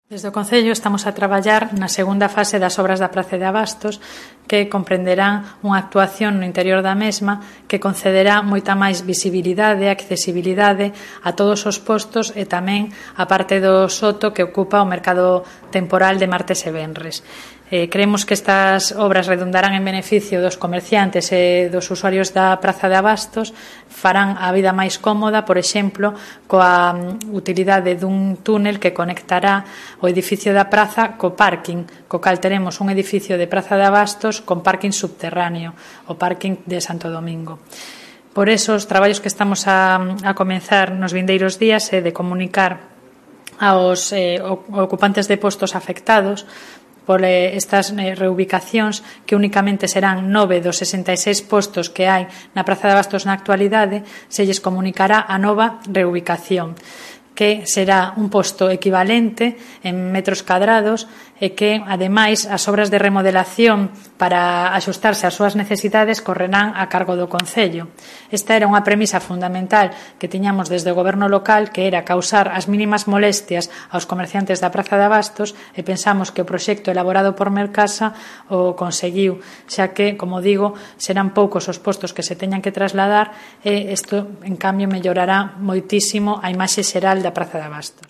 Desde o Concello estamos a traballar na segunda fase das obras da Praza de Abastos, que comprenderán unha actuación no interior da mesma que concederá moita máis visibilidade e accesibilidade a todos os postos e tamén a parte do soto que ocupa o mercado temporal de martes e venres. Creemos que estas obras redundarán en beneficio dos comerciantes e dos usuarios da Praza de Abastos, farán a vida máis cómoda, por exemplo, coa utilidade dun túnel que conectará o edificio da praza co parking, co cal teremos un edificio de Praza de Abastos con parking subterráneo, o parking de Santo Domingo. Por eso, os traballos que estamos a comenzar nos vindeiros días é de comunicar aos ocupantes de postos afectados por estas reubicacións, que únicamente serán 9 dos 66 postos que hai na Praza de Abastos na actualidade, se lles comunicará a nova reubicación, que será un posto equivalente en metros cadrados e que, ademais, as obras de remodelación para axustarse ás súas necesidades correrán a cargo do Concello. Esta era unha premisa fundamental que tiñamos desde o goberno local, que era causar as mínimas molestias aos comerciantes da Praza de Abastos, e pensamos que o proxecto elaborado por Mercasa o conseguiu, xa que, como digo, serán poucos os postos que se teñan que trasladar e isto, en cambio, mellorará moitísimo a imaxe xeral da Praza de Abastos.